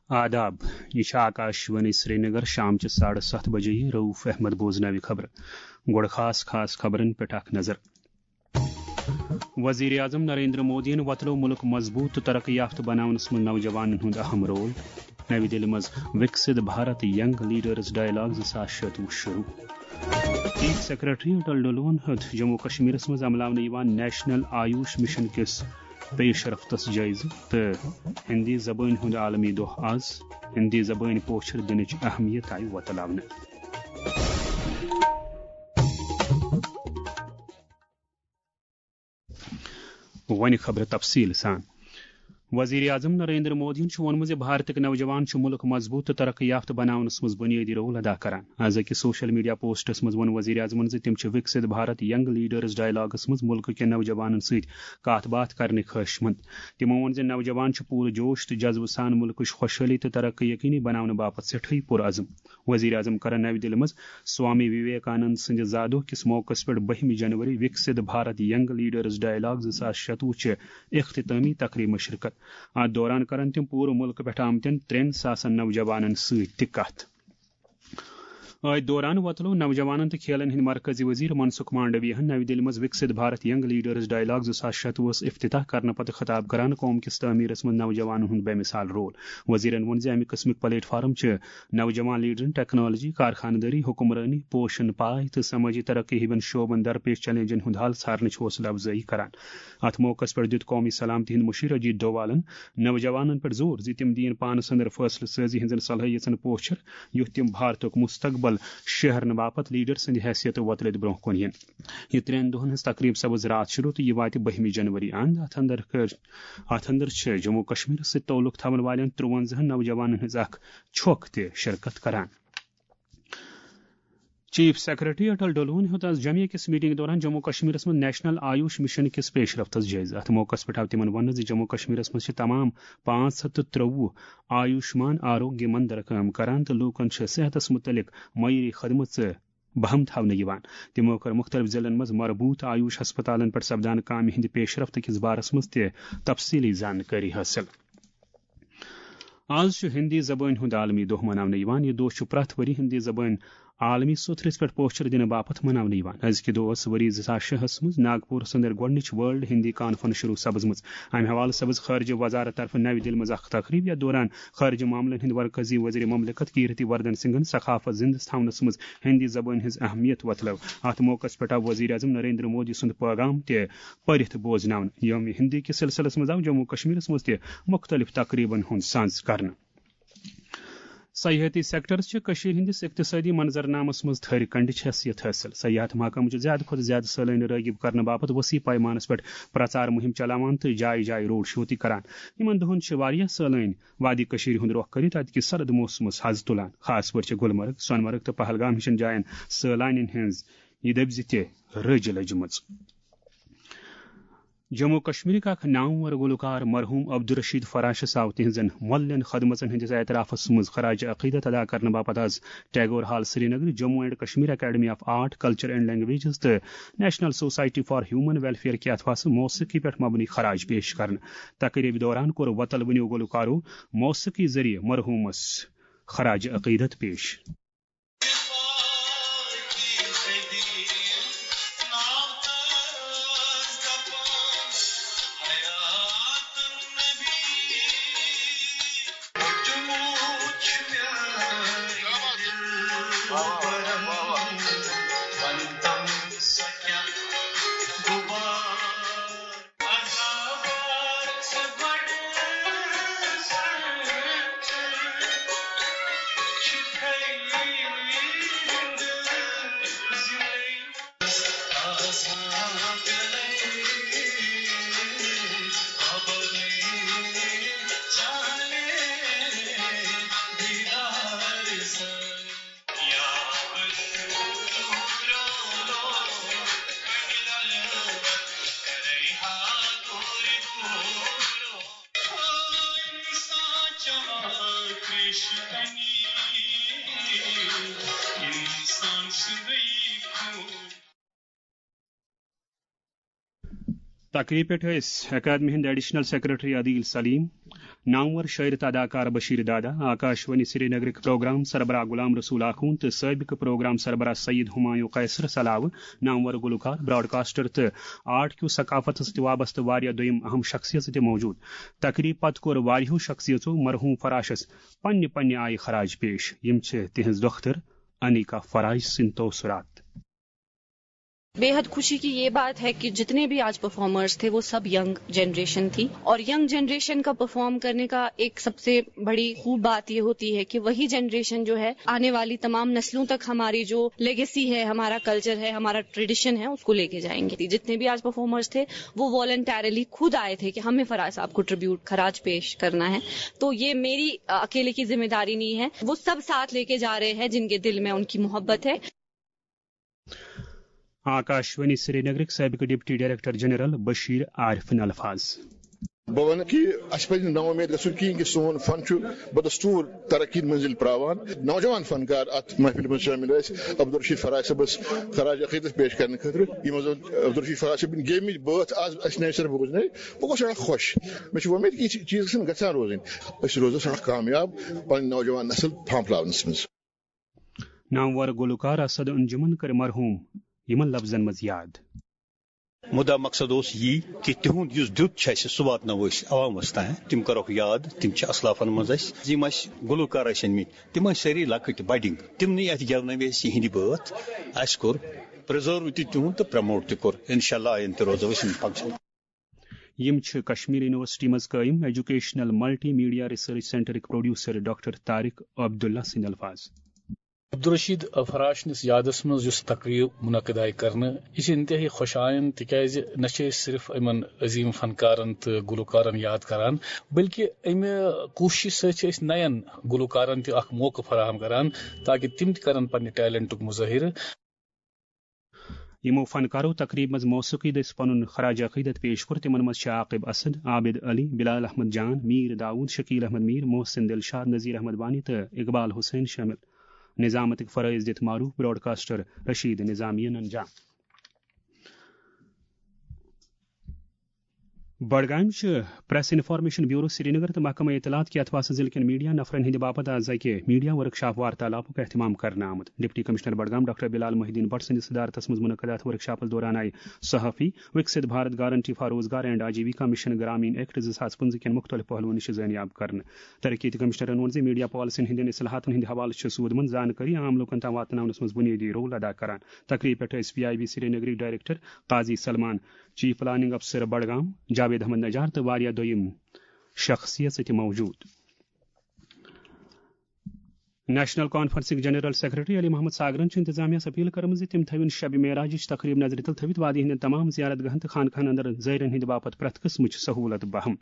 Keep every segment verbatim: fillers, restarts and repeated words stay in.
آداب، یہِ چھِ آکاشوانی سرینگر، شام چہِ ساڑٕ ستھ بجے۔ رؤف احمد بوزناوِ خبرٕ۔ گۄڈٕ خاص خاص خبرن پٮ۪ٹھ اکھ نظر۔ وزیر اعظم نریندر مودیَن وۄتلٲو مُلک مضبوٗط تہٕ ترقی یافتہٕ بناونس منٛز نوجوانن ہُنٛد اہم رول۔ نَوِ دِلہِ منٛز وِکسِت بھارت ینگ لیڈرز ڈائیلاگ زٕ ساس شتوُہ شروٗع۔ چیف سیکرٹری اٹل ڈلون ہیوٚت جموں کشمیرس منٛز عملاونہٕ یِوان نیشنل آیوش مشن کِس پیش رفتس جٲیزٕ تہٕ ہِندی زبٲنۍ ہُنٛد عالمی دۄہ آز۔ ہِندی زبٲنۍ پوچھر دِنٕچ اہمیت آیہِ وۄتلاونہٕ۔ وۄنۍ خبرٕ تفصیٖل سان۔ وزیر اعظم نریندر مودیَن چھُ ووٚنمُت زِ بھارتٕکۍ نوجوان چھِ مُلک مضبوٗط تہٕ ترقی یافتہٕ بناونس منٛز بُنیٲدی رول ادا کران۔ از أکِس سوشل میڈیا پوسٹس منٛز ووٚن وزیر اعظمَن زِ تِم چھِ وِکسِت بھارت ینگ لیڈرز ڈائیلاگس منٛز مُلکہٕ کٮ۪ن نوجوانن سۭتۍ کتھ باتھ کرنٕکۍ خٲہِشمند۔ تِمو ووٚن زِ نوجوان چھِ پوٗرٕ جوش تہٕ جذبہٕ سان مُلکٕچ خۄشحٲلی تہٕ ترقی یقینی بناونہٕ باپتھ سٮ۪ٹھٕے پُرعزم۔ وزیر اعظم کرن نَوِ دِلہِ منٛز سوامی وویکانند سٕنٛدِ زادوہ کِس موقعس پٮ۪ٹھ بٔہمہِ جنوری وِکسِت بھارت ینگ لیڈرز ڈائیلاگ زٕ ساس شتوُہ چہِ اختتٲمی تقریبہِ منٛز شرکت۔ اتھ دوران کرن تِم پوٗرٕ مُلکہٕ پٮ۪ٹھ آمتٮ۪ن ترٛٮ۪ن ساسن نوجوانن سۭتۍ تہِ کتھ۔ أتھۍ دوران وۄتلوو نوجوانن تہٕ کھیلن ہٕنٛدۍ مرکزی وزیر منسکھ مانڈویہن نَوِ دِلہِ منٛز وِکسِت بھارت ینگ لیڈرز ڈائیلاگ زٕ ساس شتوُہس افتتاح کرنہٕ پتہٕ خطاب کران قوم کِس تعمیرس منٛز نوجوانن ہُنٛد بے مثال رول۔ وزیرن ووٚن زِ امہِ قٕسمٕکۍ پلیٹ فارم چھِ نوجوان لیڈرن ٹیکنالوجی، کارخانہٕ دٲری، حکمرٲنی، پوشن پاے تہٕ سمٲجی ترقی ہِوٮ۪ن شعبن درپیش چیلنجن ہُنٛد حل ژھارنٕچ حوصلہٕ افزٲیی کران۔ اتھ موقعس پٮ۪ٹھ دِیُت قومی سلامتی ہٕنٛدۍ مُشیر اجیت ڈووالن نوجوانن پٮ۪ٹھ زور زِ تِم دِیِن پانہٕ اندر فٲصلہٕ سٲزی ہٕنٛزن صلٲحیژن پوچھر، یُتھ تِم بھارتُک مستقبل شہرنہٕ باپتھ لیڈر سٕنٛدِ حیثیتہٕ وۄتلِتھ برونٛہہ کُن یِن۔ یہِ ترٛٮ۪ن دۄہن ہٕنٛز تقریب سپٕز راتھ شروع تہٕ یہِ واتہِ بٔہمہِ جنوری اند۔ اتھ اندر کٔر، اتھ اندر چھِ جموں کشمیرس سۭتۍ تعلق تھاون والٮ۪ن ترٛوَنزاہن نوجوانن ہٕنٛز اکھ چھۄکھ تہِ شرکت کران۔ چیف سیکرٹری اٹل ڈلون ہیوٚت آز جمعہ کِس میٹنگ دوران جموں کشمیرس منٛز نیشنل آیوش مشن کِس پیش رفتس جٲیزٕ۔ اتھ موقعس پٮ۪ٹھ آو تِمن وننہٕ زِ جموں کشمیرس منٛز چھِ تمام پانٛژھ ہتھ تہٕ ترٛوُہ آیوشمان آروگیہ مندر کٲم کران تہٕ لوٗکن چھِ صحتس مُتعلق معیٲری خدمژٕ بہم تھاونہٕ یِوان۔ تِمو کٔر مُختٔلِف ضلعن منٛز مربوط آیوش ہسپتالن پٮ۪ٹھ سپدان کامہِ ہٕنٛدِ پیش رفت کِس بارس منٛز تہِ تفصیٖلی زانکٲری حٲصِل۔ آز چھُ ہِندی زبٲنۍ ہُنٛد عالمی دۄہ مناونہٕ یِوان۔ یہِ دۄہ چھُ پرٛٮ۪تھ ؤری ہِندی زبٲنۍ عالمی سوٚتھرِس پٮ۪ٹھ پوچھر دِنہٕ باپتھ مناونہٕ یِوان۔ أزکہِ دۄہ ٲس ؤری زٕ ساس شےٚ ہَس منٛز ناگپورَس اندر گۄڈٕنِچ ورلڈ ہِندی کانفرنس شروع سپٕزمٕژ۔ امہِ حوالہٕ سپٕز خارجہ وزارت طرفہٕ نَوِ دِلہِ منٛز اکھ تقریب، یتھ دوران خارجہ معاملن ہٕنٛدۍ مرکزی وزیر مملکت کیرتی وردھن سنگھن ثقافت زندٕ تھاونس منٛز ہِندی زبٲنۍ ہٕنٛز اہمیت وۄتلٲو۔ اتھ موقعس پٮ۪ٹھ آو وزیر اعظم نریندر مودی سُنٛد پیغام تہِ پٔرِتھ بوزناونہٕ۔ یوم ہِندی کِس سلسلس منٛز آو جموں کشمیرس منٛز تہِ مُختٔلِف تقریبن ہُنٛد سانز کرنہٕ۔ سیاحتی سیکٹرس چھِ کٔشیٖرِ ہٕنٛدِس اقتصٲدی منظرنامس منٛز تھٔرِ کنڈِچ حیثیت حٲصِل۔ سیاحت محکمہٕ چھُ زیادٕ کھۄتہٕ زیادٕ سٲلٲنۍ رٲغب کرنہٕ باپتھ وسیع پیمانس پٮ۪ٹھ پرچار مُہِم چلاوان تہٕ جایہِ جایہِ روڈ شو تہِ کران۔ یِمن دۄہن چھِ واریاہ سٲلٲنۍ وادی کٔشیٖرِ ہُنٛد رۄخ کٔرِتھ اَتہِ کِس سرد موسمس حض تُلان۔ خاص پٲٹھۍ چھِ گُلمرگ، سۄنہٕ مرگ تہٕ پہلگام ہِشن جاین سٲلانٮ۪ن ہٕنٛز یہِ دٔبۍ زِ تہِ رٔج لٔجمٕژ۔ جموں کشمیرٕکۍ اکھ نامور گلوکار مرحوم عبدالرشید فراشس آو تِہنٛزن مۄلین خدمژن ہٕنٛدِس اعترافس منٛز خراج عقیدت ادا کرنہٕ باپتھ آز Tagore hall Srinagar, Jammu and Kashmir academy of art, culture and languages تہٕ national society for human welfare کہِ اتھواسہٕ موسیقی پٮ۪ٹھ مبنی خراج پیش کرنہٕ۔ تقریبہِ دوران کوٚر وۄتلوٕنیو گلوکارو موسیقی ذٔریعہٕ مرحومس خراج عقیدت پیش۔ تقریب پٮ۪ٹھ ٲسۍ اکیڈمی ہٕنٛدۍ ایڈیشنل سیکرٹری عدیل سلیم، نامور شٲعر تہٕ اداکار بشیر دادا، آکاش وانی سرینگرٕکۍ پروگرام سربراہ غلام رسول آخوند تہٕ سٲبقہٕ پروگرام سربراہ سید ہمایوں قیصرس علاوٕ نامور گلوکار، براڈکاسٹر تہٕ آرٹ کیو ثقافتس سۭتۍ وابستہٕ واریاہ دوٚیِم اہم شخصیژٕ تہِ موجود۔ تقریب پتہٕ کوٚر واریاہو شخصیژو مرحوم فراشس پننہِ پننہِ آیہِ خراج پیش۔ یِم چھِ تِہنٛز دۄختٕر انیکا فراش سٕنٛدۍ توثرات۔ बेहद खुशी की ये बात है कि जितने भी आज परफॉर्मर्स थे, वो सब यंग जनरेशन थी। और यंग जनरेशन का परफॉर्म करने का एक सबसे बड़ी खूब बात ये होती है कि वही जनरेशन जो है, आने वाली तमाम नस्लों तक हमारी जो लेगेसी है, हमारा कल्चर है, हमारा ट्रेडिशन है, उसको लेके जाएंगे। जितने भी आज परफॉर्मर्स थे, वो वॉलंटरली खुद आए थे कि हमें फराज साहब को ट्रिब्यूट, खराज पेश करना है। तो ये मेरी अकेले की जिम्मेदारी नहीं है, वो सब साथ लेके जा रहे हैं जिनके दिल में उनकी मोहब्बत है। آکاشوانی سرینگرٕکۍ سٲبقہٕ ڈپٹی ڈائریکٹر جنرل بشیر عارفن الفاظ۔ بہٕ وَنہٕ کہِ اَسہِ پَزِ نہٕ نااُمید گژھُن کِہیٖنۍ کہِ سون فن چھُ بدستوٗر ترقی منزل پراوان۔ نوجوان فنکار اَتھ محفلہِ منٛز شٲمِل ٲسۍ۔ عبدالرشید فراج صٲبَس خراج عقیدت پیش کرنہٕ خٲطرٕ۔ یِمو زَن عبدالرشید فراج صٲبٕنۍ گیمٕتۍ بٲتھ آز اَسہِ نَیہِ سَرٕ بوٗزنٲے، بہٕ گوٚوُس سٮ۪ٹھاہ خۄش۔ مےٚ چھِ وۄمید کہِ یِتھۍ چیٖز گژھن گژھان روزٕنۍ۔ أسۍ روزو سٮ۪ٹھاہ کامیاب پَنٕنۍ نوجوان نسل پھانپھلاونَس منٛز۔ نامور گلوکار اسد انجمن کٔر مرحوم یِمن لفظن منٛز یاد۔ مُدا مقصد اوس یی کہِ تِہُنٛد یُس دیُت چھُ اَسہِ، سُہ واتناوو أسۍ عوامس تام۔ تِم کرہوکھ یاد، تِم چھِ اسلافن منٛز اَسہِ، یِم اَسہِ گلوکار ٲسۍ أنمٕتۍ، تِم ٲسۍ سٲری لۄکٕٹۍ بڈِنگ۔ تِمنٕے اَتھِ گٮ۪ونٲوۍ أسۍ یِہِنٛدۍ بٲتھ۔ اَسہِ کوٚر پرزرو تہِ تِہُنٛد تہٕ پرموٹ تہِ کوٚر۔ انشاءاللہ آیندٕ تہِ روزو أسۍ یِم فنکشن۔ یِم چھِ کشمیر یونیورسٹی منٛز قٲیِم ایجوکیشنل ملٹی میڈیا ریسرچ سینٹرٕکۍ پروڈیوسر ڈاکٹر طارق عبداللہ سٕنٛدۍ الفاظ۔ عبدالرشید فراشنِس یادس منٛز یُس تقریب منعقد آیہِ کرنہٕ، یہِ چھِ انتہٲئی خۄش آیند، تِکیازِ نہ چھِ أسۍ صرف یِمن عظیم فنکارن تہٕ گلوکارن یاد کران، بلکہِ امہِ کوٗششہِ سۭتۍ چھِ أسۍ نین گلوکارن تہِ اکھ موقعہٕ فراہم کران، تاکہِ تِم تہِ کرن پننہِ ٹیلنٹُک مظٲہرٕ۔ یِمو فنکارو تقریب منٛز موسیقی دٔسۍ پنُن خراج عقیدت پیش کوٚر۔ تِمن منٛز چھِ عاقب اسد، عابد علی، بلال احمد جان، میر داؤد، شکیل احمد میر، محسن دلشاد، نذیر احمد وانی تہٕ اقبال حسین شٲمِل۔ نظامتٕکۍ فرٲیض دِتھ معروف براڈکاسٹر رشید نظامی ننجان۔ بڈگامہِ چھِ پریس انفارمیشن بیورو سرینگر تہٕ محکمہ اطلاعات کہِ اتھواسہٕ ضلعہٕ کٮ۪ن میڈیا نفرن ہٕنٛدِ باپتھ از اکہِ میڈیا ورکشاپ وارتالافُک اہتمام کرنہٕ آمُت۔ ڈپٹی کمشنر بڈگام ڈاکٹر بلال محی الدین بٹ سٕنٛدِس صدارتس منٛز منعقد اتھ ورکشاپس دوران آیہِ صحافی، وکسِت بھارت گارنٹی فار روزگار اینڈ آجیویکا مشن گرامین ایکٹ زٕ ساس پٕنٛژٕہ کٮ۪ن مُختٔلِف پہلوَن نِش زٲنیاب کرنہٕ۔ ترقیتی کمشنرن ووٚن زِ میڈیا پالیسین ہٕنٛدٮ۪ن اصلاحاتن ہٕنٛدِ حوالہٕ چھِ سود منٛد زانکٲری عام لوٗکن تام واتناونس منٛز بُنیٲدی رول ادا کران۔ تقریب پٮ۪ٹھ ٲسۍ P I B سرینگرٕکۍ director Qazi Salman, chief planning افسر بڈگام جاوید احمد نجار تہٕ واریاہ دوٚیِم شخصیژٕ تہِ موجود۔ نیشنل کانفرنسٕکۍ جنرل سیکرٹری علی محمد ساگرن چھُ انتظامیہ یس اپیل کٔرمٕژ زِ تِم تھٲوِن شب معراجٕچ تقریب نظرِ تل تھٲوِتھ وادی ہٕنٛدٮ۪ن تمام زیارت گاہن تہٕ خانقاہن اندر زائرن ہٕنٛدِ باپتھ پرٛٮ۪تھ قٕسمٕچ سہولت بہم۔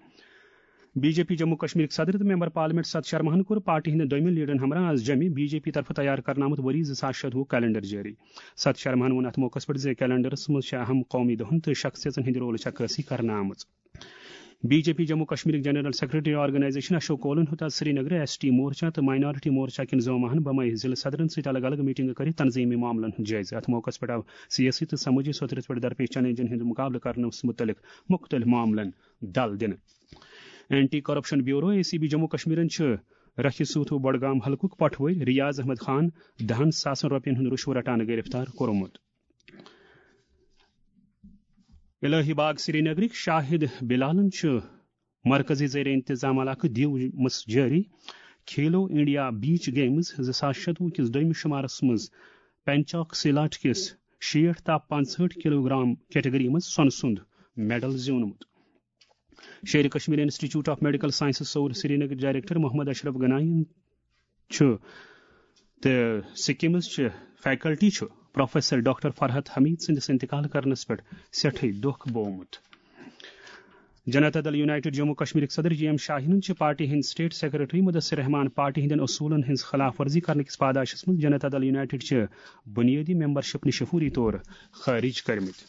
بی جے پی جموں کشمیرٕکۍ صدر تہٕ ممبر پارلیمنٹ ست شرماہن کوٚر پارٹی ہٕنٛدٮ۪ن دوٚیمٮ۪ن لیڈرن ہمراہ از جمہِ بی جے پی طرفہٕ تیار کرنہٕ آمُت ؤری زٕ ساس شتوُہ کیلنڈر جٲری۔ ست شرماہن ووٚن اتھ موقعس پٮ۪ٹھ زِ کیلنڈرس منٛز چھِ اہم قومی دۄہن تہٕ شخصیژن ہٕنٛدِ رولٕچ عکٲسی کرنہٕ آمٕژ۔ بی جے پی جموں کشمیرٕکۍ جنرل سیکرٹری آرگنائزیشن اشوک کولن ہیوٚت از سرینگرٕ ایس ٹی مورچہ تہٕ مائنارٹی مورچہ کٮ۪ن زوماہن بمے ضلعہٕ صدرن سۭتۍ الگ الگ میٹنگہٕ کٔرِتھ تنظیمی معاملن ہُنٛد جٲیزٕ۔ اتھ موقعس پٮ۪ٹھ آو سیٲسی تہٕ سمٲجی سوتھرس پٮ۪ٹھ درپیش چیلنجن ہُنٛد مقابلہٕ کرنس مُتعلق مُختٔلِف معاملن دل دِنہٕ۔ Anti corruption bureau, A C B Jammu کشمیرن چھُ رکھِ سوتھو بڈگام حلقُک پٹھوٲرۍ ریاض احمد خان دہن ساسن رۄپین ہُنٛد رُشوٕ رٹان گرفتار کوٚرمُت۔ الہی باغ سرینگرٕکۍ شاہد بلالن چھُ مرکزی زیر انتظام علاقہٕ دیو مس جٲری کھیلو انڈیا بیچ گیمز زٕ ساس شتوُہ کِس دوٚیمِس شمارس منٛز پینچاک سیلاٹ کِس شیٹھ تا پانٛژہٲٹھ کلوگرام کیٹگری منٛز سۄنہٕ سُنٛد میڈل زیوٗنمُت۔ Sher e Kashmir institute of medical sciences Soura Srinagar director Mohammad Ashraf گناین چھُ تہٕ سکمز چہِ فیکلٹی چھُ پروفیسر ڈاکٹر فرحت حمید سٕنٛدِس انتقال کرنس پٮ۪ٹھ سٮ۪ٹھٕے دۄکھ بوومُت۔ جنتا دل یونائیٹڈ جموں کشمیرٕکۍ صدر جی ایم شاہینن چھِ پارٹی ہٕنٛدۍ سٹیٹ سیکرٹری مدثر رحمان پارٹی ہٕنٛدٮ۪ن اصوٗلن ہٕنٛز خلاف ورزی کرنہٕ کِس پاداشس منٛز جنتا دل یونائیٹڈ چہِ بُنیٲدی ممبرشپ نِش فوری طور خٲرج کٔرمٕتۍ۔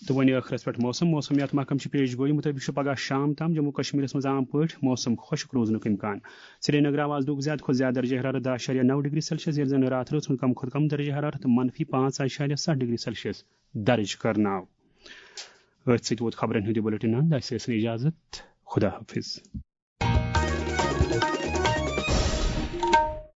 تہٕ وۄنۍ ٲخرس پٮ۪ٹھ موسم۔ موسمیات محکمہٕ چھِ پیش گویی مُطٲبِق چھُ پگاہ شام تام جموں کشمیرس منٛز عام پٲٹھۍ موسم خۄشک روزنُک امکان۔ سرینگر آو آز دۄہُک زیادٕ کھۄتہٕ زیادٕ درجہ حرارت دَہ اَشاریہ نَو ڈگری سیلسیس، ییٚلہِ زن راتھ رٲژ ہُنٛد کم کھۄتہٕ کم درجہ حرارت منفی پانٛژھ اَشاریہ ستھ ڈگری سیلسیس درج کرنہٕ آو۔ أتھۍ سۭتۍ ووت خبرن ہُنٛد یہِ بُلٹن انٛد۔ اسہِ ٲسِن اجازت۔ خدا حافظ۔